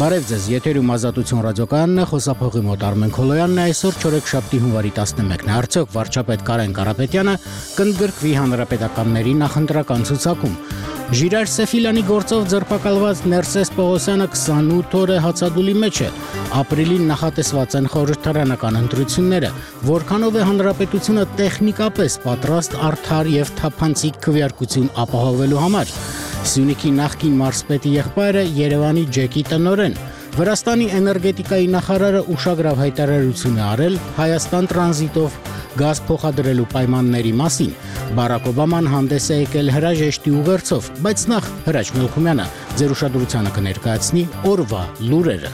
Բարև ձեզ, եթերում Ազատություն ռադիոկայանն է, խոսափողի մոտ Արմեն Քոլոյանն է, այսօր չորեքշաբթի հունվարի 11-ն է, արդյոք վարչապետ Կարեն Կարապետյանը կընդգրկվի հանրապետականների նախընտրական ցուցակում։ Ժիրայր Սեֆիլյանի գործով ձերբակալված Ներսես Պողոսյանը 28 օր է հացադուլի մեջ է, ապրիլին նախատեսված են խորհրդարանական ընտրությունները, որքանով է հանրապետությունը տեխնիկապես պատրաստ արդար եւ թափանցիկ քվեարկություն ապահովելու համար։ Սյունիքի նախկին մարզպետի եղբայրը Երևանի ջեկի տնօրեն, Վրաստանի էներգետիկայի նախարարը ուշագրավ հայտարարություն է արել Հայաստան տրանզիտով գազ փոխադրելու պայմանների մասին։ Բարակ Օբաման հանդես է եկել հրաժեշտի ուղերձով, բայց նախ Հրաչ Մելքումյանը ձեր ուշադրությանը կներկայացնի օրվա լուրերը։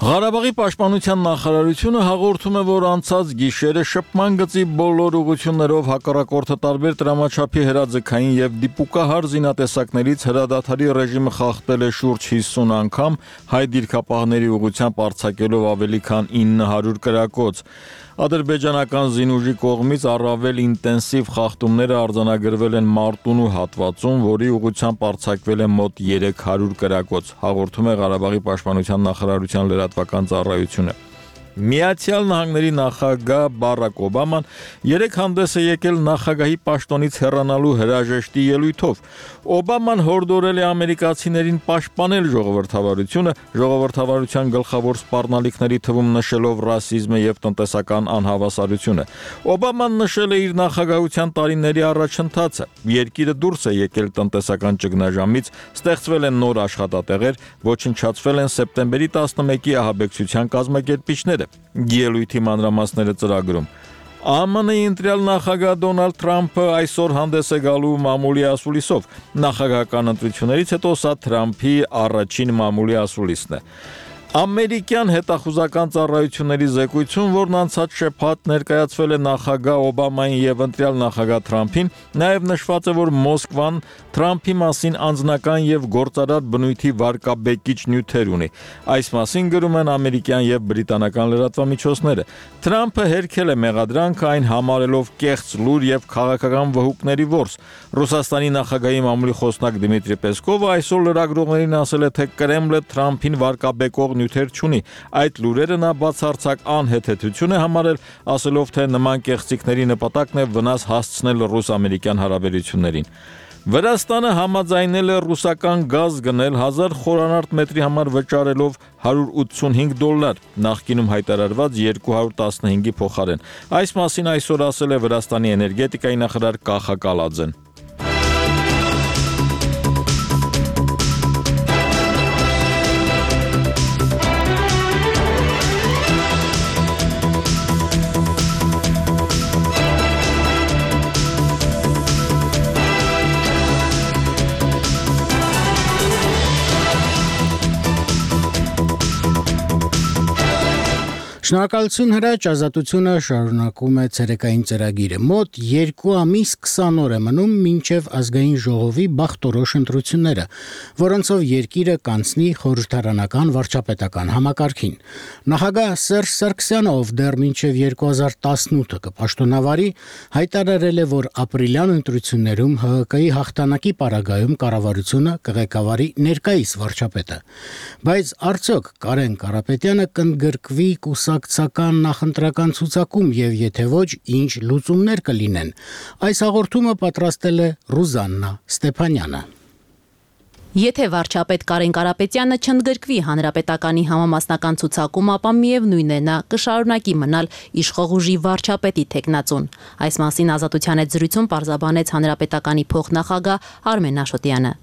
Ղարաբաղի պաշտպանության նախարարությունը հաղորդում է, որ անցած գիշերը շփման գծի բոլոր ուղղություններով հակառակորդը տարբեր տրամաչափի հրաձգային եւ դիպուկահար զինատեսակներից հրադադարի ռեժիմը խախտել է շուրջ 50 անգամ, հայ դիրքապահների ուղղությամբ արձակելով ավելի քան 900 կրակոց։ Ադրբեջանական զինուժի կողմից առավել ինտենսիվ խախտումները արձանագրվել են Մարտունու հատվածում, որի ուղղությամբ արձակվել է մոտ 300 կրակոց, հաղորդում է Ղարաբաղի պաշտպանության նախարարության լրատվական ծառայությունը։ Միացյալ Նահանգների նախագահ Բարակ Օբաման երեկ հանդես է եկել նախագահի պաշտոնից հեռանալու հրաժեշտի ելույթով։ Օբաման հորդորել է ամերիկացիներին պաշտպանել ժողովրդավարությունը, ժողովրդավարության գլխավոր սպառնալիքների թվում նշելով ռասիզմը եւ տնտեսական անհավասարությունը։ Օբաման նշել է իր նախագահության տարիների առաջընթացը։ Երկիրը դուրս է եկել տնտեսական ճգնաժամից, ստեղծվել են նոր աշխատատեղեր, ոչնչացվել են սեպտեմբերի 11-ի ահաբեկչության կազմակերպիչները։ Ելույթի մանրամասները ծրագրում։ ԱՄՆ-ի ընտրյալ նախագահ Դոնալդ Թրամփը այսօր հանդես է գալու մամուլի ասուլիսով։ Նախագահական ընտրություններից հետո սա Թրամփի առաջին մամուլի ասուլիսն է։ Ամերիկյան հետախուզական ծառայությունների զեկույցում, որն անցած շաբաթ ներկայացվել է նախագահ Օբամային եւ ընտրյալ նախագահ Թրամփին, նաեւ նշված է, որ Մոսկվան Թրամփի մասին անձնական եւ գործարար բնույթի վարկաբեկիչ նյութեր ունի։ Այս մասին գրում են ամերիկյան եւ բրիտանական լրատվամիջոցները։ Թրամփը հերքել է մեղադրանքը, այն համարելով կեղծ լուր եւ քաղաքական վհուկների որս։ Ռուսաստանի նախագահի մամուլի խոսնակ Դմիտրի Պեսկովը այսօր լրագրողներին ասել է, թե Կրեմլը Թրամփին վարկաբեկող նյութեր չունի։ Այդ լուրերը նա բացարձակ անհեթեթություն է համարել, ասելով, թե նման կեղծիքների նպատակն է վնաս հասցնել ռուս-ամերիկյան հարաբերություններին։ Վրաստանը համաձայնել է ռուսական գազ գնել 1000 խորանարդ մետրի համար վճարելով $185, նախկինում հայտարարված 215-ի փոխարեն։ Այս մասին այսօր ասել է Վրաստանի էներգետիկայի նախարար Կախա Կալաձեն։ Շնորհակալություն Հրաչ, Ազատությունը շարունակում է ցերեկային ծրագիրը։ Մոտ 2 ամիս 20 օր է մնում մինչև ազգային ժողովի բախտորոշ ընտրությունները, որոնցով երկիրը կանցնի խորհրդարանական վարչապետական համակարգին։ Նախագահ Սերժ Սարգսյանը, ով դեռ մինչև 2018 կպաշտոնավարի, հայտարարել է, որ ապրիլյան ընտրություններում ՀՀԿ-ի հաղթանակի պարագայում կառավարությունը կղեկավարի ներկայիս վարչապետը։ Բայց արդյոք Կարեն Կարապետյանը կընդգրկվի կուսակցական նախընտրական ցուցակում եւ եթե ոչ, ինչ լուծումներ կլինեն։ Այս հաղորդումը պատրաստել է Ռուզաննա Ստեփանյանը։ Եթե վարչապետ Կարեն Կարապետյանը չընդգրկվի հանրապետականի համամասնական ցուցակում, ապա միևնույն է նա կշարունակի մնալ իշխող ուժի վարչապետի թեկնածուն։ Այս մասին Ազատության հետ զրույցում պարզաբանեց հանրապետականի փոխնախագահ Արմեն Աշոտյանը։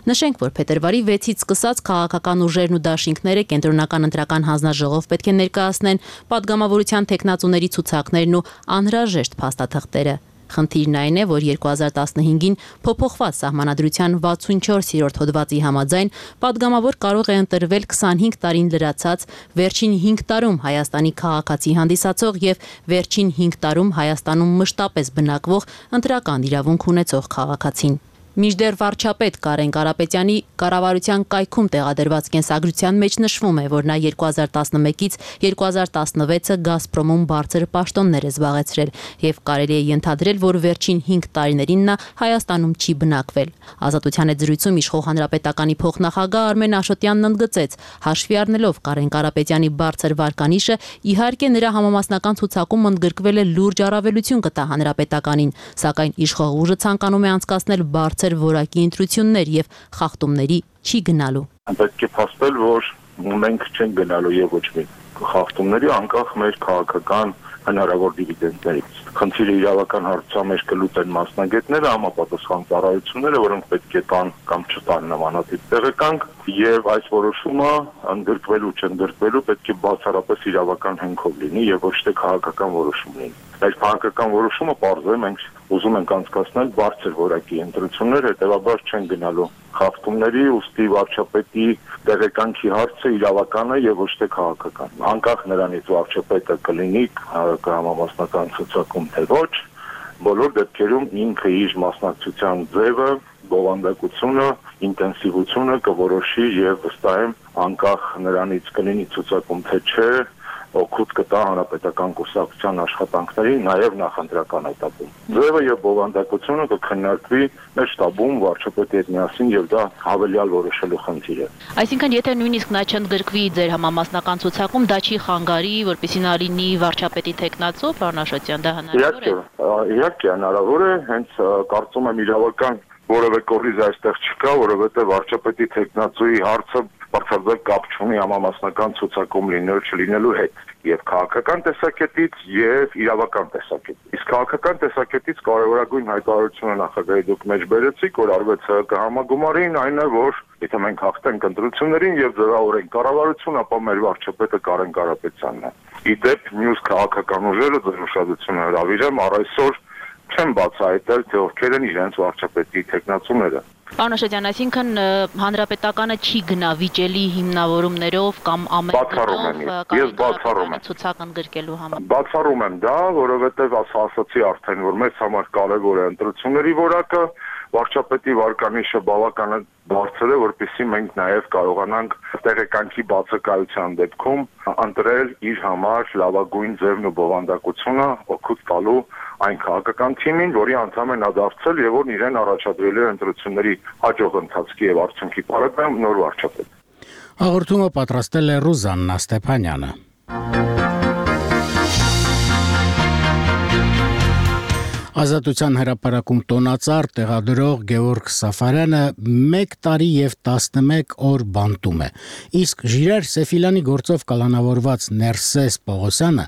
Նշենք, որ փետրվարի 6-ից սկսած քաղաքական ուժերն ու դաշինքները կենտրոնական ընտրական հանձնաժողով պետք է ներկայացնեն падգամավորության թեկնածուների ցուցակներն ու անհրաժեշտ փաստաթղթերը։ Խնդիրն այն է, որ 2015-ին փոփոխված սահմանադրության 64-րդ հոդվածի համաձայն падգամավոր կարող է ընտրվել 25 տարին լրացած, վերջին 5 տարում Հայաստանի քաղաքացի հանդիսացող եւ վերջին 5 տարում Հայաստանում մշտապես բնակվող ընտրական իրավունք ունեցող քաղաքացին։ Մինչդեռ վարչապետ Կարեն Կարապետյանի կառավարության կայքում տեղադրված կենսագրության մեջ նշվում է, որ նա 2011-ից 2016-ը Գազպրոմում բարձր պաշտոններ է զբաղեցրել եւ կարելի է ենթադրել, որ վերջին 5 տարիներին նա Հայաստանում չի բնակվել։ Ազատության հետ զրույցում իշխող հանրապետականի փոխնախագահ Արմեն Աշոտյանն ընդգծեց, հաշվի առնելով Կարեն Կարապետյանի բարձր վարկանիշը, իհարկե նրա համամասնական ցուցակում ընդգրկվել է լուրջ առավելություն կտա հանրապետականին, սակայն իշխող ուժը ցանկանում է անցկացնել բարձր որակի ընտրություններ եւ խախտումների չի գնալու։ Պետք է փաստել, որ մենք չենք գնալու եւ ոչ մի խախտումների անկախ մեր քաղաքական հնարավոր դիվիդենդներից։ Խնդիրը իրավական հարցության մեջ կլուծեն մասնագետները, համապատասխան ծառայությունները, որոնք պետք է տան կամ չտան նմանատիպ տեղեկանք, եւ այս որոշումը ընդգրկվելու չընդգրկվելու պետք է բացառապես իրավական հենքով լինի եւ ոչ թե քաղաքական որոշում լինի։ Այս քաղաքական որոշումը պարզվում է մենք ուզում ենք անցկացնել բարձր որակի ընտրություններ, հետեւաբար չեն գնալու խախտումների, ուստի վարչապետի տեղեկանքի հարցը իրավական է եւ ոչ թե քաղաքական։ Անկախ նրանից վարչապետը կլինի համամասնական ցուցակում թե ոչ, բոլոր դեպքերում ինքը իր մասնակցության ձևը, բովանդակությունը, ինտենսիվությունը կորոշի եւ վստահ եմ անկախ նրանից կլինի ցուցակում թե չէ, օգուտ կտա հանրապետական կուսակցության աշխատանքներին, նաև նախընտրական этаպում։ Ձևը եւ բովանդակությունը կքննարկվի մեր շտաբում վարչապետի հետ միասին եւ դա հավելյալ որոշելու խնդիր է։ Այսինքն, եթե նույնիսկ նա չընդգրկվի ձեր համամասնական ցուցակում, դա չի խանգարի, որպեսզի նա լինի վարչապետի տեխնացու, պարոն Աշոտյան, դա հնարավոր է։ Իհարկե հնարավոր է, հենց կարծում եմ իրավական որևէ կորիզ այստեղ չկա, որովհետեւ վարչապետի տեխնացուի հարցը բացարձակ կապ չունի համամասնական ցուցակում լինելու չլինելու հետ եւ քաղաքական տեսակետից եւ իրավական տեսակետից։ Իսկ քաղաքական տեսակետից կարևորագույն հայտարարությունը նախագահի դուք մեջ բերեցիք, որ արվեց համագումարին, այն է, որ եթե մենք հաղթենք ընտրություններին եւ ձևավորենք կառավարություն, ապա մեր վարչապետը Կարեն Կարապետյանն է։ Իդեպ մյուս քաղաքական ուժերը ձեր ուշադրությունը հրավիրեմ, առ այսօր չեմ բացահայտել, թե ովքեր են իրենց վարչապետի տեխնացուները։ Պարոն Աշոտյան, այսինքն հանրապետականը չի գնա վիճելի հիմնավորումներով կամ Ես բացառում եմ ցուցակ ընդգրկելու համար։ Բացառում եմ դա, որովհետև ասացի արդեն, որ մեզ համար կարևոր է ընտրությունների որակը, վարչապետի վարկանիշը բավական բարձր է, որպեսզի մենք նաև կարողանանք տեղեկանքի բացակայության դեպքում ընտրել իր համար լավագույն ձևն ու բովանդակությունը օգուտ տալու այն քաղաքական թիմին, որի անդամ են դարձել եւ որն իրեն առաջադրել է ընտրությունների հաջող ընթացքի եւ արդյունքի պարագայում նոր վարչապետ։ Հաղորդումը պատրաստել է Ռուզաննա Ստեփանյանը։ Ազատության հրապարակում տոնածառ տեղադրող Գևորգ Սաֆարյանը 1 տարի եւ 11 օր բանտում է։ Իսկ Ժիրայր Սեֆիլյանի գործով կալանավորված Ներսես Պողոսյանը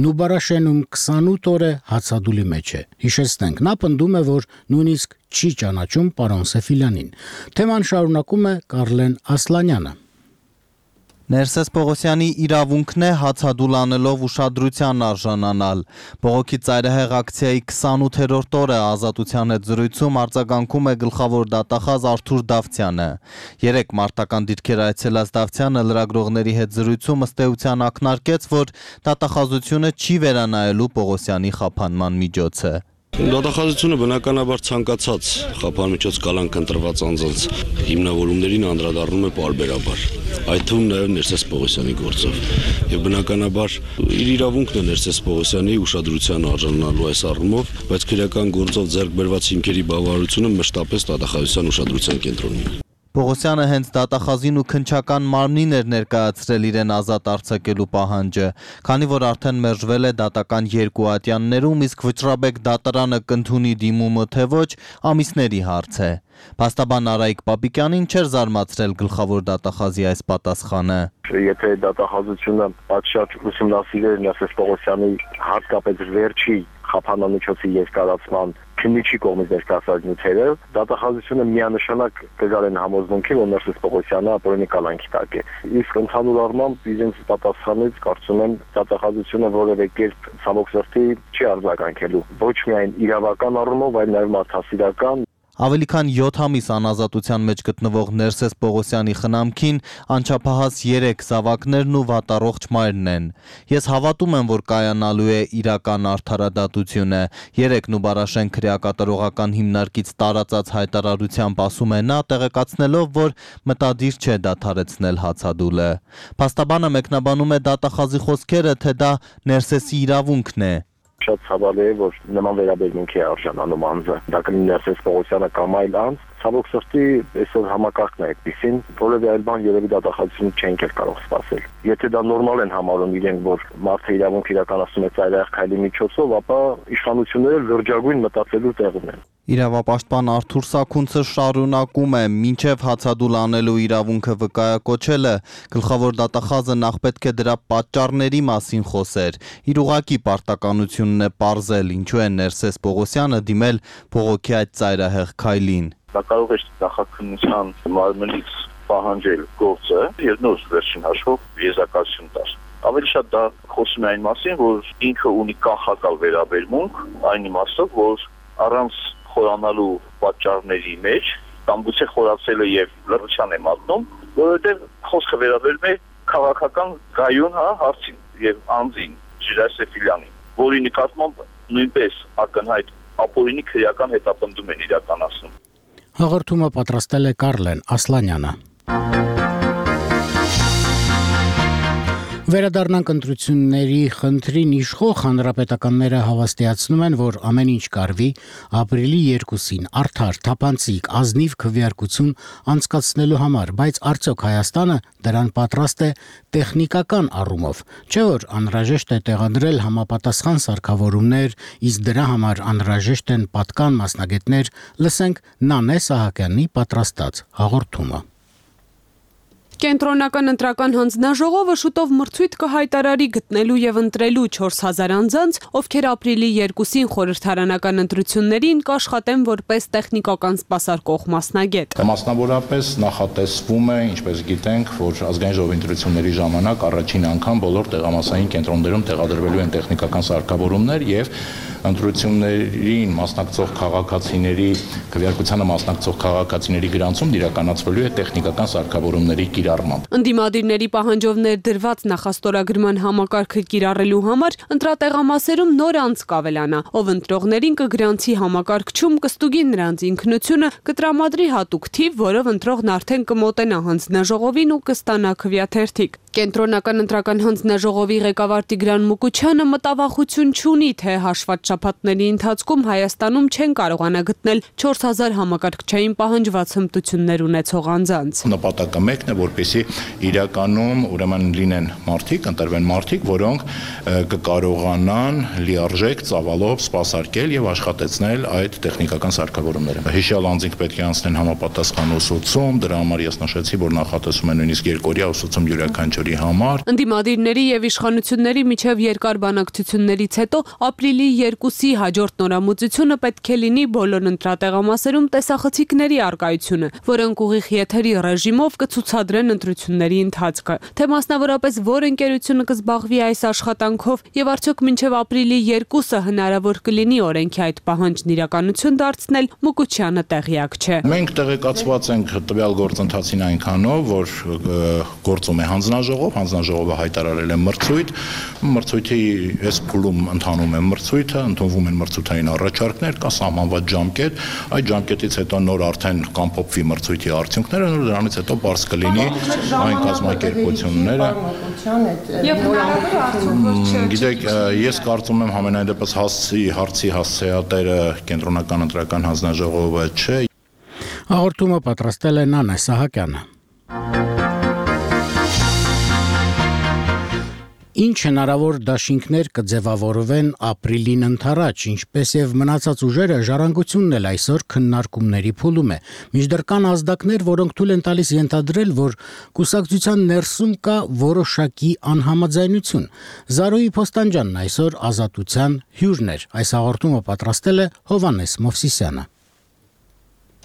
Նուբարաշենում 28 օր է հացադուլի մեջ է։ Հիշեցնենք, նա պնդում է, որ նույնիսկ չի ճանաչում պարոն Սեֆիլյանին։ Թեման շարունակում է Կարլեն Ասլանյանը։ Ներսես Պողոսյանի իրավունքն է հացադուլ անելով ուշադրության արժանանալ։ Բողոքի ծայրահեղ ակցիայի 28-րդ օրը Ազատության հետ զրույցում արձագանքում է գլխավոր դատախազ Արթուր Դավթյանը։ 3 մարտական դիրքեր այցելած Դավթյանը լրագրողների հետ զրույցում ըստ էության ակնարկեց, որ դատախազությունը չի վերանայելու Պողոսյանի խափանման միջոցը։ Դատախազությունը բնականաբար ցանկացած խափանմիջոց կալանք ընտրված անձանց հիմնավորումներին անդրադառնում է պարբերաբար, այդ թվում նաև Ներսես Պողոսյանի գործով։ Եվ բնականաբար իր իրավունքն է Ներսես Պողոսյանի ուշադրության արժանանալու այս առումով, բայց քրեական գործով ձեռք բերված հիմքերի բավարարությունը մշտապես դատախազության ուշադրության կենտրոնում է։ Պողոսյանը հենց դատախազին ու քննչական մարմնին էր ներկայացրել իրեն ազատ արձակելու պահանջը, քանի որ արդեն մերժվել է դատական 2 ատյաններում, իսկ Վճռաբեկ դատարանը կընդունի դիմումը թե ոչ, ամիսների հարց է։ Փաստաբան Արայիկ Պապիկյանին չէր զարմացրել գլխավոր դատախազի այս պատասխանը։ Եթե դատախազությունը պատշաճ ուսումնասիրեր Ներսես Պողոսյանի հատկապես վերջի խափանամիջոցի երկարացման քննիչի կողմից ներկայացած նյութերը, դատախազությունը միանշանակ կգալեն համոզմունքի, որ Ներսես Պողոսյանը ապօրինի կալանքի տակ է։ Իսկ ընդհանուր առմամբ իրենց պատասխանից կարծում եմ դատախազությունը որևէ կերպ ցավոք սրտի չի արձագանքելու ոչ միայն իրավական առումով, այլ նաև մարդասիրական։ Ավելի քան 7 ամիս անազատության մեջ գտնվող Ներսես Պողոսյանի խնամքին անչափահաս 3 զավակներն ու վատառողջ մայրն են։ Ես հավատում եմ, որ կայանալու է իրական արդարադատությունը։ 3 Նուբարաշեն քրեակատարողական հիմնարկից տարածած հայտարարությամբ ասում է նա, տեղեկացնելով, որ մտադիր չէ դադարեցնել հացադուլը։ Փաստաբանը մեկնաբանում է դատախազի խոսքերը, թե դա Ներսեսի իրավունքն է։ Շատ ցավալի է, որ նման վերաբերմունքի է արժանանում անձը։ Դա կլինի Ներսես Պողոսյանը կամ այլ անձ, ցավոք սրտի այսօր համակարգն է այդպեսին, որևէ այլ բան երևի դատախազությունը չենք կարող սպասել։ Եթե դա նորմալ են համարում իրենք, որ մարդը իրավունք իրականացնում է ծայրահեղ քայլի միջոցով, ապա իշխանությունները լրջագույն մտածելու տեղում են։ Իրավապաշտպան Արթուր Սաքունցը շարունակում է, մինչև հացադուլ անելու իրավունքը վկայակոչելը, գլխավոր դատախազը նախ պետք է դրա պատճառների մասին խոսեր։ Իր ուղղակի պարտականությունն է պարզել, ինչու է Ներսես Պողոսյանը դիմել բողոքի այդ ծայրահեղ քայլին։ Դա կարող է նախաքննության մարմնից պահանջել գործը եւ նոր վերջին հաշվով եզրակացություն տալ։ Ավելի շատ դա խոսում է այն մասին, որ ինքը ունի կանխակալ վերաբերմունք, այն իմաստով, որ առանց խորանալու պատճառների մեջ կամ գուցե խորացել է եւ լրջության է մատնում, որովհետեւ խոսքը վերաբերում է քաղաքական գայուն հարցին եւ անձին Ժիրայսեֆիլյանին, որի նկատմամբ նույնպես ակնհայտ ապօրինի քրեական հետապնդում են իրականացնում։ Հաղորդումը պատրաստել է Կարլեն Ասլանյանը։ Վերադառնանք ընտրությունների խնդրին իշխող հանրապետականները հավաստիացնում են, որ ամեն ինչ կարվի ապրիլի 2-ին արդար, թափանցիկ, ազնիվ քվեարկություն անցկացնելու համար, բայց արդյոք Հայաստանը դրան պատրաստ է տեխնիկական առումով, չէ՞ որ անհրաժեշտ է տեղադրել համապատասխան սարքավորումներ, իսկ դրա համար անհրաժեշտ են պատկան մասնագետներ, լսենք Նանե Սահակյանի պատրաստած հաղորդումը։ Կենտրոնական ընտրական հանձնաժողովը շուտով մրցույթ կհայտարարի գտնելու եւ ընտրելու 4000 անձանց, ովքեր ապրիլի 2-ին խորհրդարանական ընտրություններին կաշխատեն որպես տեխնիկական սպասարկող մասնագետ։ Մասնավորապես նախատեսվում է, ինչպես գիտենք, որ ազգային ժողովի ընտրությունների ժամանակ առաջին անգամ բոլոր տեղամասային կենտրոններում տեղադրվելու են տեխնիկական սարքավորումներ եւ ընտրություններին մասնակցող քաղաքացիների քվեարկությանը մասնակցող քաղաքացիների գրանցում իրականացվելու է տեխնիկական սարքավորումների կիրառմամբ։ Ընդդիմադիրների պահանջով ներդրված նախաստորագրման համակարգը կիրառելու համար ընտրատեղամասերում նոր անձ կավելանա, ով ընտրողներին կգրանցի համակարգչում, կստուգի նրանց ինքնությունը, կտրամադրի հատուկ թիվ, որով ընտրողն արդեն կմոտենա հանձնաժողովին ու կստանա քվեաթերթիկ։ Կենտրոնական ընտրական հանձնաժողովի ղեկավար Տիգրան Մուկուչյանը մտավախություն չունի, թե հաշված շաբաթների ընթացքում Հայաստանում չեն կարողանա գտնել 4000 համակարգչային պահանջված հմտություններ ունեցող անձանց։ Նպատակը մեկն է, որպեսզի իրականում ուրեմն լինեն մարդիկ, ընտրվեն մարդիկ, որոնք կկարողանան լիարժեք ծավալով սպասարկել եւ աշխատեցնել այդ տեխնիկական սարքավորումները։ Հիշյալ անձինք պետք է անցնեն համապատասխան ուսուցում, դրա համար ես նշեցի, որ նախատեսում են նույնիսկ երկօրյա ուսուցում յուրաքանչյուրի համար։ Ընդդիմադիրների եւ իշխանությունների միջև երկար բանակցություններից հետո ապրիլի 2-ի հաջորդ նորամուծությունը պետք է լինի բոլոր ընտրատեղամասերում տեսախցիկների առկայությունը, որոնք ուղիղ եթերի ռեժիմով կցուցադրեն ընտրությունների ընթացքը։ Թե մասնավորապես որ ընկերությունը կզբաղվի այս աշխատանքով եւ արդյոք մինչեւ ապրիլի 2-ը հնարավոր կլինի օրենքի այդ պահանջն իրականություն դարձնել, Մուկուչյանը տեղյակ չէ։ Մենք տեղեկացված ենք տվյալ գործընթացին այնքանով, որ գործում է հանձնաժողովը հայտարարել է մրցույթ, մրցույթի այս փուլում ընթանում է մրցույթը, ընդունվում են մրցութային առաջարկներ, կա սահմանված ժամկետ, այդ ժամկետից հետո նոր արդեն կամփոփվի մրցույթի արդյունքները, նոր դրանից հետո բարձ կլինի այն կազմակերպությունները։ Եվ հնարավոր է արդյոք որ չէ։ Գիտեք, ես կարծում եմ համենայն դեպս հարցի հասցեատերը կենտրոնական ընտրական հանձնաժողովը չէ։ Հաղորդումը պատրաստել է Նանե Սահակյանը։ Ինչ հնարավոր դաշինքներ կձևավորվեն ապրիլին ընթരാճ, ինչպես եւ մնացած ուժերը ժառանգությունն էլ այսօր քննարկումների փուլում է։ Մինչդեռ կան ազդակներ, որոնք թույլ են տալիս ենթադրել, որ կուսակցության ներսում կա որոշակի անհամաձայնություն։ Զարոյի Փոստանջյանն այսօր Ազատության հյուրն էր։ Այս հաղորդումը պատրաստել է Հովանես Մովսիսյանը։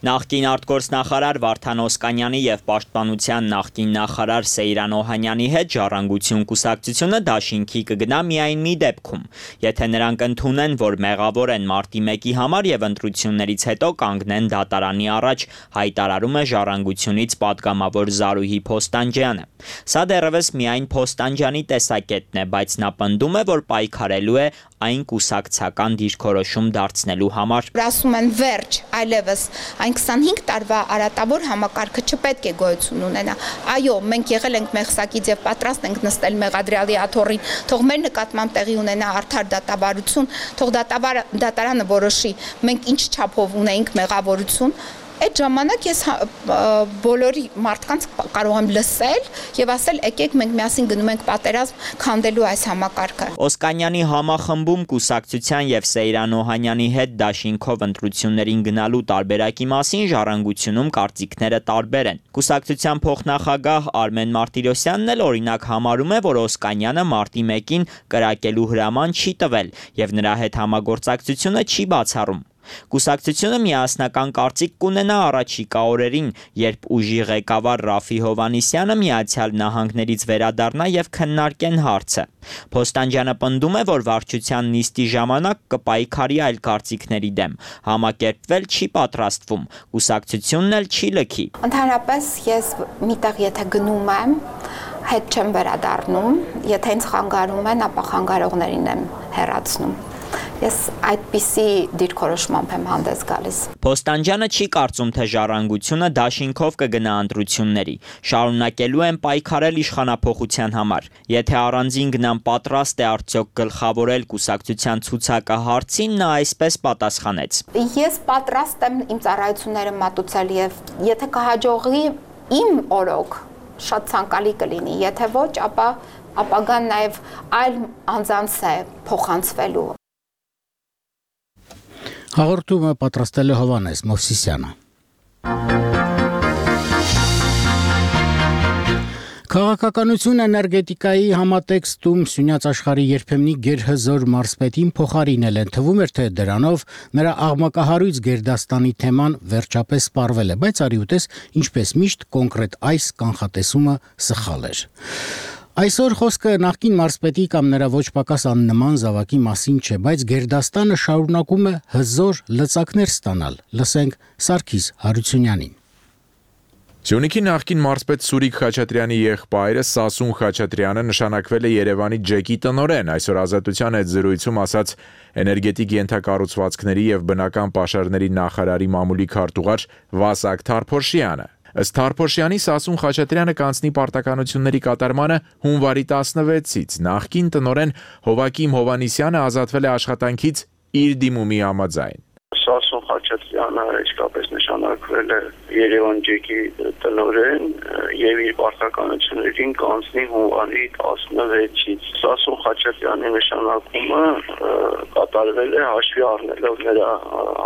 Նախկին արտգործնախարար Վարդան Օսկանյանի եւ Պաշտպանության նախկին նախարար Սեյրան Օհանյանի հետ Ժառանգություն կուսակցությունը դաշինքի կգնա միայն մի դեպքում, եթե նրանք ընդունեն, որ մեղավոր են մարտի 1-ի համար եւ ընտրություններից հետո կանգնեն դատարանի առաջ, հայտարարում է Ժառանգությունից падգամավոր Զարուհի Փոստանջյանը։ Սա դեռևս միայն Փոստանջյանի տեսակետն է, բայց նա պնդում է, որ պայքարելու է այն կուսակցական դիրքորոշում դարձնելու համար։ Ասում են վերջ, այլևս այն 25 տարվա արատավոր համակարգը չպետք է գոյություն ունենա։ Այո, մենք եղել ենք մեղսակից եւ պատրաստ ենք նստել մեղադրյալի աթոռին, թող մեր նկատմամբ տեղի ունենա արդար դատավարություն, թող դատարանը որոշի, մենք ինչ չափով ունեինք մեղավորություն։ Այդ ժամանակ ես բոլորի մարդկանց կարող եմ լսել եւ ասել եկեք մենք միասին գնում ենք պատերազմ քանդելու այս համակարգը։ Օսկանյանի համախմբում կուսակցության եւ Սեյրան Օհանյանի հետ դաշինքով ընտրություններին գնալու տարբերակի մասին Ժառանգությունում կարծիքները տարբեր են։ Կուսակցության փոխնախագահ Արմեն Մարտիրոսյանն էլ օրինակ համարում է, որ Օսկանյանը մարտի 1-ին կրակելու հրաման չի տվել եւ նրա հետ համագործակցությունը չի բացառում։ Կուսակցությունը միասնական կարծիք կունենա առաջիկա օրերին, երբ ուժի ղեկավար Ռաֆի Հովանիսյանը Միացյալ Նահանգներից վերադառնա եւ քննարկեն հարցը։ Փոստանջյանը պնդում է, որ վարչության նիստի ժամանակ կպայքարի այլ կարծիքների դեմ, համակերպվել չի պատրաստվում, կուսակցությունն էլ չի լքի։ Ընդհանրապես ես միտեղ եթե գնում եմ, հետ չեմ վերադառնում, եթե ինձ խանգարում են, ապա խանգարողներին եմ հեռացնում։ Ես այդպիսի դիրքորոշմամբ եմ հանդես գալիս։ Փոստանջյանը չի կարծում, թե Ժառանգությունը դաշինքով կգնա ընտրությունների, շարունակելու են պայքարել իշխանափոխության համար։ Եթե առանձին գնան պատրաստ է արդյոք գլխավորել կուսակցության ցուցակը հարցին, նա այսպես պատասխանեց։ Ես պատրաստ եմ իմ ծառայությունները մատուցել եւ եթե կհաջողի իմ օրոք շատ ցանկալի կլինի, եթե ոչ, ապա ապագան նաեւ այլ անձանց է փոխանցվելու։ Հաղորդումը պատրաստել է Հովանես Մովսիսյանը։ Քաղաքականություն էներգետիկայի համատեքստում Սյունյաց աշխարհի երբեմնի գերհզոր մարզպետին փոխարինել են, թվում էր, թե դրանով նրա աղմկահարույց Գերդաստանի թեման վերջապես սպառվել է, բայց արի ուտես, ինչպես միշտ կոնկրետ այս կանխատեսումը սխալ էր։ Այսօր խոսքը նախկին մարզպետի կամ նրա ոչ պակաս աննման զավակի մասին չէ, բայց Գերդաստանը շարունակում է հզոր լծակներ ստանալ։ Լսենք Սարգիս Հարությունյանին։ Սյունիքի նախկին մարզպետ Սուրիկ Խաչատրյանի եղբայրը Սասուն Խաչատրյանը նշանակվել է Երևանի ջեկի տնօրեն, այսօր Ազատության հետ զրույցում ասաց էներգետիկ ենթակառուցվածքների եւ բնական պաշարների նախարարի մամուլի քարտուղար Վասակ Թարփոշյանը։ Ըստ Թարփոշյանի Սասուն Խաչատրյանը կանցնի պարտականությունների կատարմանը հունվարի 16-ից, նախկին տնօրեն Հովակիմ Հովանիսյանը ազատվել է աշխատանքից իր դիմումի համաձայն։ Սասուն Խաչատրյանը իսկապես նշանակվել է Երևան ջեկի տնօրեն եւ իր պարտականություններին կանցնի հունվարի 16-ից։ Սասուն Խաչատրյանի նշանակումը կատարվել է հաշվի առնելով նրա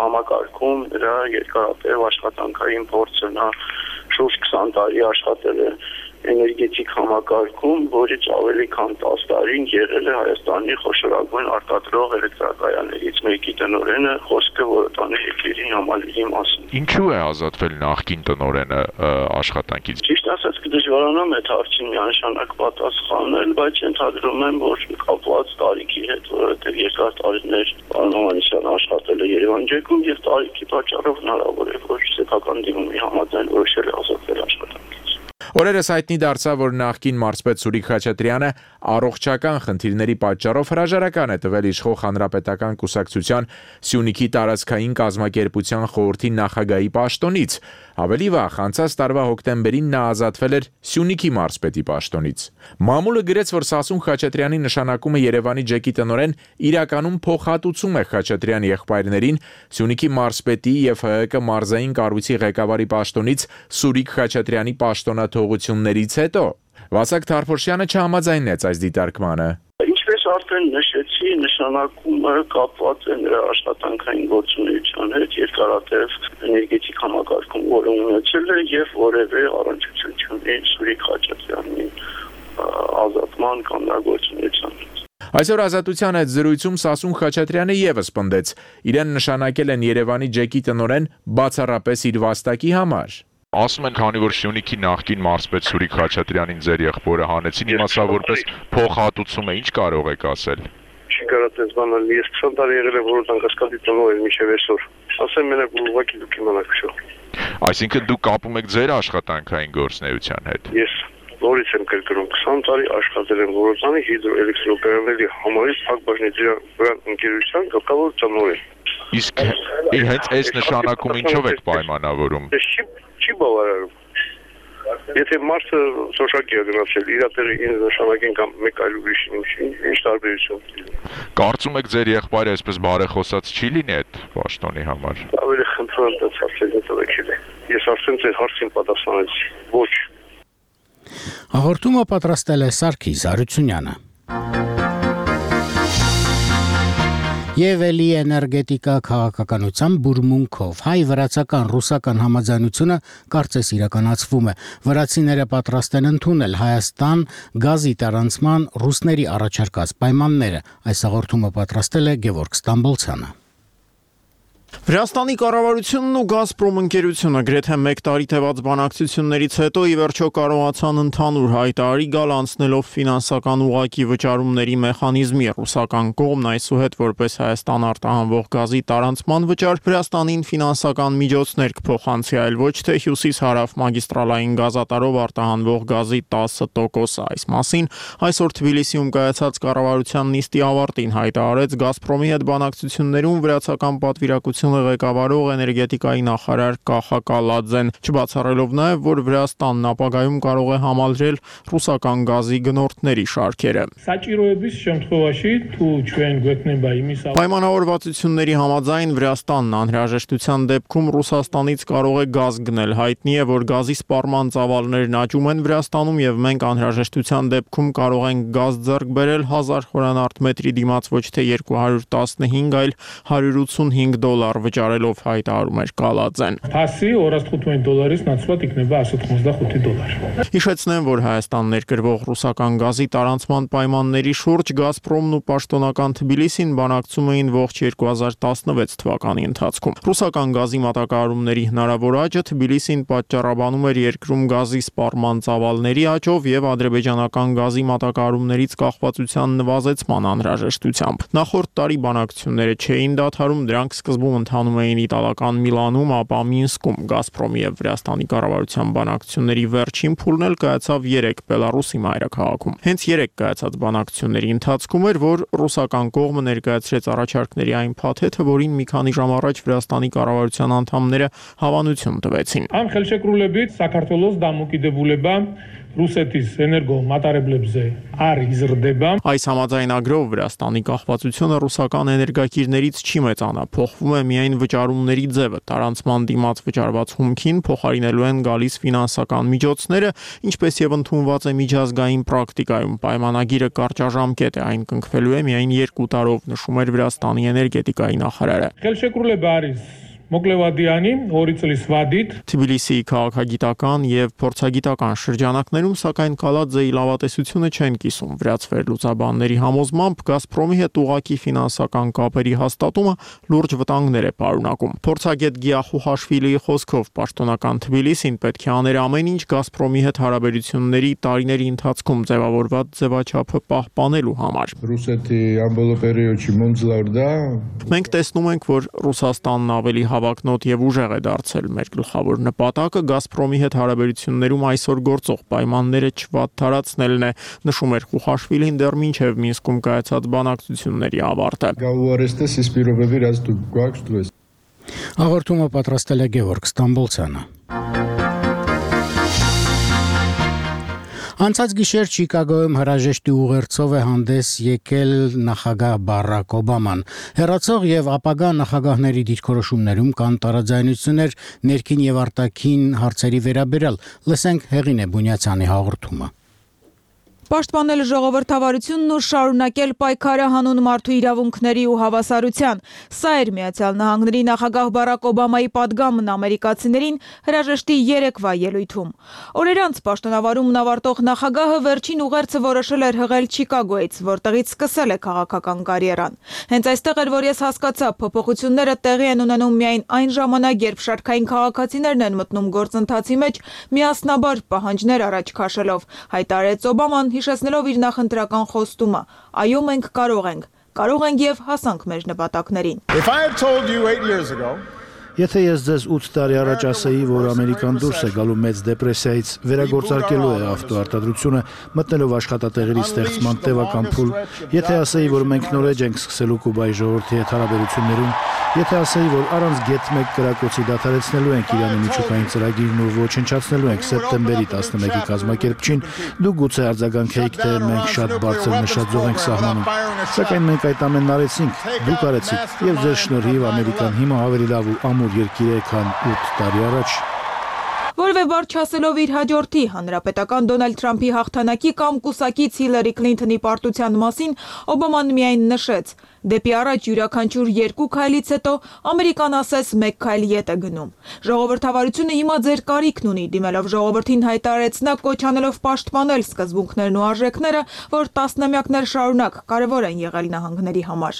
համակարգում, նրա երկարատև աշխատանքային փորձը, նա շուրջ 20 տարի աշխատել է էներգետիկ համակարգում, որից ավելի քան 10 տարին եղել է Հայաստանի խոշորագույն արտադրող էլեկտրակայաններից մեկի տնօրենը, խոսքը որոտանի եկերի համալիրի մասին։ Ինչու է ազատվել նախկին տնօրենը աշխատանքից։ Ճիշտ ասած կդժվարանամ այդ հարցին միանշանակ պատասխանել, բայց ենթադրում եմ, որ կապված տարիքի հետ, որովհետև երկար տարիներ պարոն Հովանեսյանը աշխատել է Երևան ջեկում եւ տարիքի պատճառով հնարավոր է, որ սեփական դիմումի համաձայն որոշել է ազատվել աշխատանքից։ Օրերս հայտնի դարձավ, որ նախկին մարզպետ Սուրիկ Խաչատրյանը առողջական խնդիրների պատճառով հրաժարական է տվել իշխող հանրապետական կուսակցության Սյունիքի տարածքային կազմակերպության խորհրդի նախագահի պաշտոնից։ Ավելի վաղ, անցած տարվա հոկտեմբերին նա ազատվել էր Սյունիքի մարզպետի պաշտոնից։ Մամուլը գրեց, որ Սասուն Խաչատրյանի նշանակումը Երևանի ջեկի տնօրեն իրականում փոխհատուցում է Խաչատրյանի եղբայրներին Սյունիքի մարզպետի եւ ՀՀԿ մարզային կառույցի ղեկավարի պաշտոնից Սուրիկ Խաչատրյանի պաշտոնաթողություններից հետո։ Վասակ Թարփոշյանը չհամաձայնեց այս դիտարկմանը։ Ինչպես արդեն նշեցի, նշանակումը կապված է նրա աշխատանքային գործունեության հետ, երկարատև էներգետիկ համակարգում որը ունեցել է եւ որևէ առնչություն չունի Սուրիկ Խաչատրյանի ազատման կամ նրա գործունեության հետ։ Այսօր Ազատության հետ զրույցում Սասուն Խաչատրյանը եւս պնդեց. իրեն նշանակել են Երևանի ջեկի տնօրեն բացառապես իր վաստակի համար։ Ասում են, քանի որ Սյունիքի նախկին մարզպետ Սուրիկ Խաչատրյանին ձեր եղբորը հանեցին, իմացա որպես փոխհատուցում է, ինչ կարող եք ասել։ Չի կարող ես բանալ, ես 20 տարի եղել եմ որոտ անկասկադի տնօրեն մինչև այսօր։ Ասեմ մենակ ուղղակի դուք իմանաք շո։ Այսինքն դուք կապում եք ձեր աշխատանքային գործունեության հետ։ Ես նորից եմ կրկնում 20 տարի աշխատել եմ Որոտանի հիդրոէլեկտրոկայանների համարի փակ բաժնետիրական ընկերության գլխավոր տնօրեն։ Իսկ հենց այս նշանակում ինչով եք պայմանավորում։ Չի բավարարում։ Եթե մարդը սոշակի է գնացել, իր տեղը ինձ նշանակեն կամ մեկ այլ ուրիշին, ինչ տարբերություն։ Կարծում եք ձեր եղբայրը այսպես բարեխոսած չի լինի այդ պաշտոնի համար։ Ավելի խնդրեմ դες հարցերին տվեք։ Ես արդեն ձեր հարցին պատասխանեցի։ Ոչ։ Հաղորդումը պատրաստել է Սարգիս Արությունյանը։ Եվ էլի էներգետիկա քաղաքականության բուրմունքով հայ-վրացական ռուսական համաձայնությունը կարծես իրականացվում է։ Վրացիները պատրաստ են ընդունել Հայաստան գազի տարանցման ռուսների առաջարկած պայմանները։ Այս հաղորդումը պատրաստել է Գևորգ Ստամբոլցյանը։ Վրաստանի կառավարությունն ու Գազպրոմ ընկերությունը գրեթե 1 տարի տևած բանակցություններից հետո ի վերջո կարողացան ընդհանուր հայտարարի գալ անցնելով ֆինանսական ուղղակի վճարումների մեխանիզմի։ Ռուսական կողմն այսուհետ որպես Հայաստան արտահանվող գազի տարանցման վճար Վրաստանին ֆինանսական միջոցներ կփոխանցի, այլ ոչ թե հյուսիս-հարավ մագիստրալային գազատարով արտահանվող գազի 10%-ը։ Այս մասին այսօր Թբիլիսիում կայացած կառավարության նիստի ավարտին հայտարարեց Գազպրոմի հետ բանակցություններում վրացական պատվիրակությունը ղեկավարող էներգետիկայի նախարար Կախա Կալաձեն, չբացառելով նաև, որ Վրաստանն ապագայում կարող է համալրել ռուսական գազի գնորդների շարքերը։ Պայմանավորվածությունների համաձայն Վրաստանն անհրաժեշտության դեպքում Ռուսաստանից կարող է գազ գնել։ Հայտնի է, որ գազի սպառման ծավալներն աճում են Վրաստանում եւ մենք անհրաժեշտության դեպքում կարող ենք գազ ձեռք բերել 1000 խորանարդ մետրի դիմաց ոչ թե 215, այլ $185 վճարելով հայտարարում էր Կալաձեն։ Հիշեցնեմ, որ Հայաստան ներկրվող ռուսական գազի տարանցման պայմանների շուրջ Գազպրոմն ու պաշտոնական Թբիլիսին բանակցում էին ողջ 2016 թվականի ընթացքում։ Ռուսական գազի մատակարարումների հնարավոր աճը Թբիլիսին պատճառաբանում էր երկրում գազի սպառման ծավալների աճով եւ ադրբեջանական գազի մատակարարումներից կախվածության նվազեցման անհրաժեշտությամբ։ Նախորդ տարի բանակցությունները չէին դադարում, դրանք սկզբում ընթանում էին իտալական Միլանում, ապա Մինսկում։ Գազպրոմի եւ Վրաստանի կառավարության բանակցությունների վերջին փուլն էլ կայացավ 3 Բելարուսի մայրաքաղաքում։ Հենց 3 կայացած բանակցությունների ընթացքում էր, որ ռուսական կողմը ներկայացրեց առաջարկների այն փաթեթը, որին մի քանի ժամ առաջ Վրաստանի կառավարության անդամները հավանություն տվեցին։ Այս համաձայնագրով Վրաստանի կախվածությունը ռուսական էներգակիրներից չի մեծանա, փոխվում է միայն վճարումների ձևը։ Տարանցման դիմաց վճարված հումքին փոխարինելու են գալիս ֆինանսական միջոցները, ինչպես եւ ընդունված է միջազգային պրակտիկայում։ Պայմանագիրը կարճաժամկետ է, այն կնքվելու է միայն 2 տարով, նշում էր Վրաստանի էներգետիկայի նախարարը։ Թբիլիսիի քաղաքագիտական եւ փորձագիտական շրջանակներում սակայն Կալաձեի լավատեսությունը չեն կիսում։ Վրաց վերլուծաբանների համոզմամբ Գազպրոմի հետ ուղղակի ֆինանսական կապերի հաստատումը լուրջ վտանգներ է պարունակում։ Փորձագետ Գիախուհաշվիլիի խոսքով պաշտոնական Թբիլիսին պետք է աներ ամեն ինչ Գազպրոմի հետ հարաբերությունների տարիների ընթացքում ձևավորված ձևաչափը պահպանելու համար։ Մենք տեսնում ենք, որ Ռուսաստանն ավելի հավակնոտ եւ ուժեղ է դարձել։ Մեր գլխավոր նպատակը Գազպրոմի հետ հարաբերություններում այսօր գործող պայմանները չվատթարացնելն է, նշում էր Խուխաշվիլին դեռ մինչև Մինսկում կայացած բանակցությունների ավարտը։ Հաղորդումը պատրաստել է Գևորգ Ստամբոլցյանը։ Անցած գիշեր Չիկագոյում հրաժեշտի ուղերձով է հանդես եկել նախագահ Բարակ Օբաման։ Հեռացող եւ ապագա նախագահների դիրքորոշումներում կան տարաձայնություններ ներքին եւ արտաքին հարցերի վերաբերյալ։ Լսենք Հեղինե Բունյացյանի հաղորդումը։ Պաշտպանել ժողովրդավարությունն ու շարունակել պայքարը հանուն մարդու իրավունքների ու հավասարության։ Սա էր Միացյալ Նահանգների նախագահ Բարակ Օբամայի պատգամն ամերիկացիներին հրաժեշտի երեկվա ելույթում։ Օրեր անց պաշտոնավարումն ավարտող նախագահը վերջին ուղերձը որոշել էր հղել Չիկագոյից, որտեղից սկսել է քաղաքական կարիերան։ Հենց այստեղ էր, որ ես հասկացա, փոփոխությունները տեղի են ունենում միայն այն ժամանակ, երբ շարքային քաղաքացիներն են մտնում գործընթացի մեջ, միասնաբար պահանջներ առաջ քաշելով, հայտարարեց Օբաման, հիշեցնելով իր նախընտրական խոստումը. այո, մենք կարող ենք եւ հասանք մեր նպատակներին։ Եթե ես ձեզ 8 տարի առաջ ասեի, որ Ամերիկան դուրս է գալու մեծ դեպրեսիայից, վերագործարկելու է ավտոարտադրությունը, մտնելով աշխատատեղերի ստեղծման տևական փուլ, եթե ասեի, որ մենք նոր էջ ենք սկսելու Կուբայի ժողովրդի հետ հարաբերություններում, եթե ասեի, որ առանց գետ 1 կրակոցի դադարեցնելու ենք Իրանի միջուկային ծրագիրն ու ոչնչացնելու ենք սեպտեմբերի 11-ի կազմակերպչին, դուք գուցե արձագանքեիք, թե մենք շատ բարձր նշաձող ենք սահմանում, սակայն մենք այդ ամենն արեցինք, դուք արեցիք, եւ ձեր շնորհիվ Ամերիկան հիմա ավելի լավ ու ամուր երկիր է, քան 8 տարի առաջ։ Որևէ բառ չասելով իր հաջորդի հանրապետական Դոնալդ Թրամփի հաղթանակի կամ կուսակից Հիլարի Քլինթոնի պարտության մասին Օբաման միայն նշեց. դեպի առաջ յուրաքանչյուր 2 քայլից հետո Ամերիկան ասես 1 քայլ ետ է գնում։ Ժողովրդավարությունը հիմա ձեր կարիքն ունի, դիմելով ժողովրդին հայտարարեց նա, կոչ անելով պաշտպանել սկզբունքներն ու արժեքները, որ տասնամյակներ շարունակ կարևոր են եղել նահանգների համար։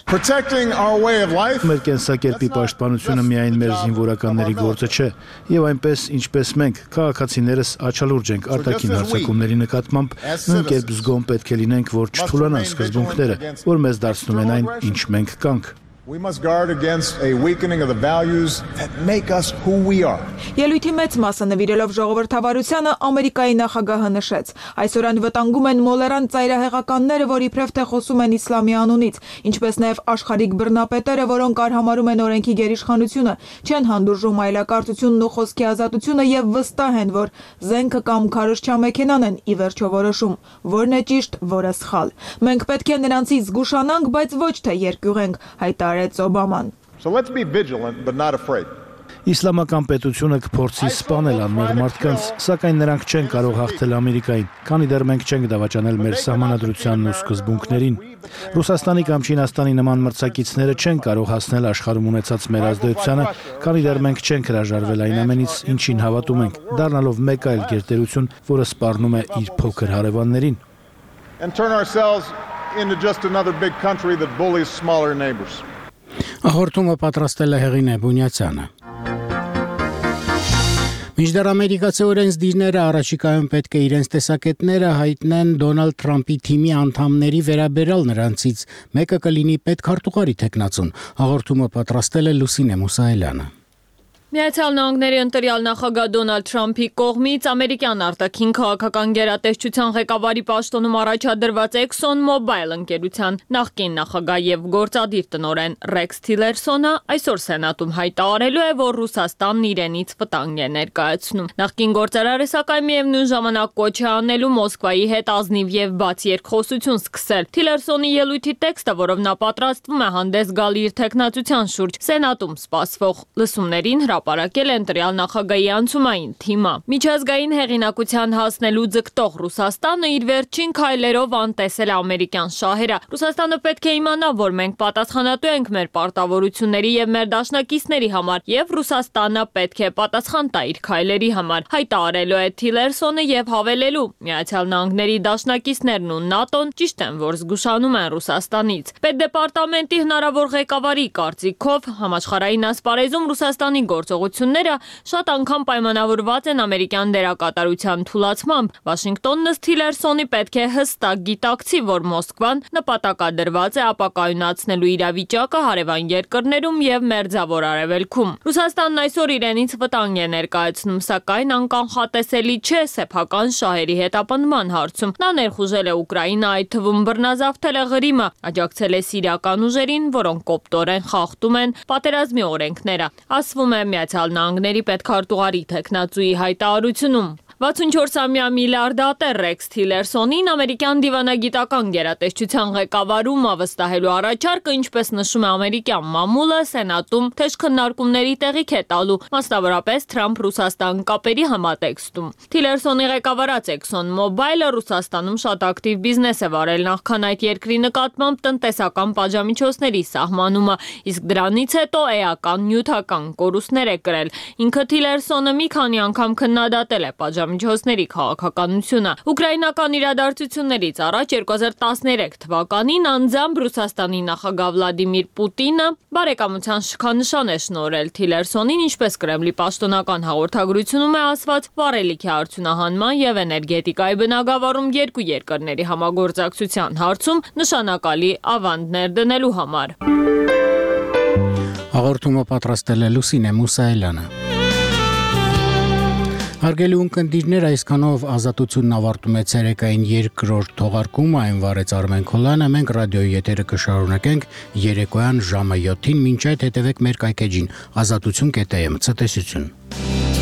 Մեր կենսակերպի պաշտպանությունը միայն մեր զինվորականների գործը չէ, եւ այնպես ինչպես մենք, քաղաքացիներս աչալուրջ ենք արտաքին հարձակումների նկատմամբ, նույնքերպ զգոն պետք է լինենք, որ չթուլանան սկզբունքները, որ մեզ դարձնում են այն, ինչ մենք կանք։ We must guard against a weakening of the values that make us who we are. Ելույթի մեծ մասը նվիրելով ժողովրդավարությանը Ամերիկայի նախագահը նշեց. այսօր անվտանգում են մոլերան ծայրահեղականները, որ իբրև թե խոսում են իսլամի անունից, ինչպես նաև աշխարհիկ բռնապետերը, որոնք արհամարհում են օրենքի գերիշխանությունը, չեն հանդուրժում այլակարծությունն ու խոսքի ազատությունը եւ վստահ են, որ զենքը կամ քարոզչա մեքենան են ի վերջո որոշում, որն է ճիշտ, որը սխալ։ Մենք պետք է նրանցից զգուշանանք, բայց ոչ թե երկյուղենք, հայտարարեց Օբաման։ So let's be vigilant but not afraid. Իսլամական պետությունը կփորձի սպանել անմեղ մարդկանց, սակայն նրանք չեն կարող հաղթել Ամերիկային, քանի դեռ մենք չենք դավաճանել մեր սահմանադրությանն ու սկզբունքներին։ Ռուսաստանի կամ Չինաստանի նման մրցակիցները չեն կարող հասնել աշխարհում ունեցած մեր ազդեցությանը, քանի դեռ մենք չենք հրաժարվել այն ամենից, ինչին հավատում ենք, դառնալով մեկ այլ գերտերություն, որը սպառնում է իր փոքր հարևաններին։ And turn ourselves into just another big country that bullies smaller neighbors. Հաղորդումը պատրաստել է Հեղինե Բունյացյանը։ Մինչդեռ ամերիկացի օրենսդիրները առաջիկայում պետք է իրենց տեսակետները հայտնեն Դոնալդ Թրամփի թիմի անդամների վերաբերյալ նրանցից մեկը կլինի պետքարտուղարի թեկնածուն։ Հաղորդումը պատրաստել է Լուսինե Մուսայելյանը։ Միացյալ Նահանգների ընտրյալ նախագահ Դոնալդ Թրամփի կողմից ամերիկյան արտաքին քաղաքական գերատեսչության ղեկավարի պաշտոնում առաջադրված Exxon Mobil ընկերության նախկին նախագահ եւ գործադիր տնօրեն Ռեքս Թիլերսոնը այսօր Սենատում հայտարարելու է, որ Ռուսաստանն իրենից վտանգ է ներկայացնում։ Նախկին գործարարը սակայն միևնույն ժամանակ կոչ է անելու Մոսկվայի հետ ազնիվ եւ բաց երկխոսություն սկսել։ Թիլերսոնի ելույթի տեքստը, որով նա պատրաստվում է հանդես գալ իր թեկնածության շուրջ Սենատում սպասվող լսումներին հրապարակել է ընտրյալ նախագահի անցումային թիմը։ Միջազգային հեղինակության հասնելու ձգտող Ռուսաստանը իր վերջին քայլերով անտեսել է ամերիկյան շահերը։ Ռուսաստանը պետք է իմանա, որ մենք պատասխանատու ենք մեր պարտավորությունների եւ մեր դաշնակիցների համար, եւ Ռուսաստանը պետք է պատասխան տա իր քայլերի համար, հայտարարելու է Թիլերսոնը եւ հավելելու. Միացյալ Նահանգների դաշնակիցներն ու ՆԱՏՕ-ն ճիշտ են, որ զգուշանում են Ռուսաստանից։ Պետդեպարտամենտի հնարավոր ղեկավարի կարծիքով համաշխարհային ասպարեզում Ռուսաստանի գործողությունները շատ անգամ պայմանավորված են ամերիկյան դերակատարության թուլացմամբ։ Վաշինգտոնն ըստ Թիլերսոնի պետք է հստակ գիտակցի, որ Մոսկվան նպատակադրված է ապակայունացնելու իրավիճակը հարևան երկրներում եւ Մերձավոր Արևելքում։ Ռուսաստանն այսօր իրենից վտանգ է ներկայացնում, սակայն անկանխատեսելի չէ սեփական շահերի հետապնդման հարցում։ Նա ներխուժել է Ուկրաինա, այդ թվում բռնազավթել է Ղրիմը, աջակցել է սիրիական ուժերին, որոնք կոպտորեն խախտում են պատերազմի օրենքները։ Ասվում է Միացյալ Նահանգների պետքարտուղարի թեկնածուի հայտարարությունում։ 64-ամյա միլիարդատեր Ռեքս Թիլերսոնին ամերիկյան դիվանագիտական գերատեսչության ղեկավարումը վստահելու առաջարկը, ինչպես նշում է ամերիկյան մամուլը, Սենատում թեժ քննարկումների տեղիք է տալու, մասնավորապես Թրամփ-Ռուսաստան կապերի համատեքստում։ Թիլերսոնի ղեկավարած Exxon Mobil-ը Ռուսաստանում շատ ակտիվ բիզնես է վարել նախքան այդ երկրի նկատմամբ տնտեսական պատժամիջոցների սահմանումը, իսկ դրանից հետո էական նյութական կորուստներ է կրել։ Ինքը Թիլերսոնը մի քանի անգամ քննադատել է պատժամիջոցների քաղաքականությունը։ Ուկրաինական իրադարձություններից առաջ 2013 թվականին անձամբ Ռուսաստանի նախագահ Վլադիմիր Պուտինը բարեկամության շքանշան է շնորհել Թիլերսոնին, ինչպես Կրեմլի պաշտոնական հաղորդագրությունում է ասված, վառելիքի արդյունահանման եւ էներգետիկայի բնագավառում երկու երկրների համագործակցության հարցում նշանակալի ավանդներ դնելու համար։ Հաղորդումը պատրաստել է Լուսինե Մուսայելյանը։ Հարգելի ունկնդիրներ, այսքանով ազատությունն ավարտում է ցերեկային երկրորդ թողարկումը, այն վարեց Արմեն Քոլյանը, մենք ռադիոյի եթերը կշարունակենք երեկոյան ժամը 7-ին, մինչ այդ հետևեք մեր կայքեջին azatutun.am, ցտեսություն։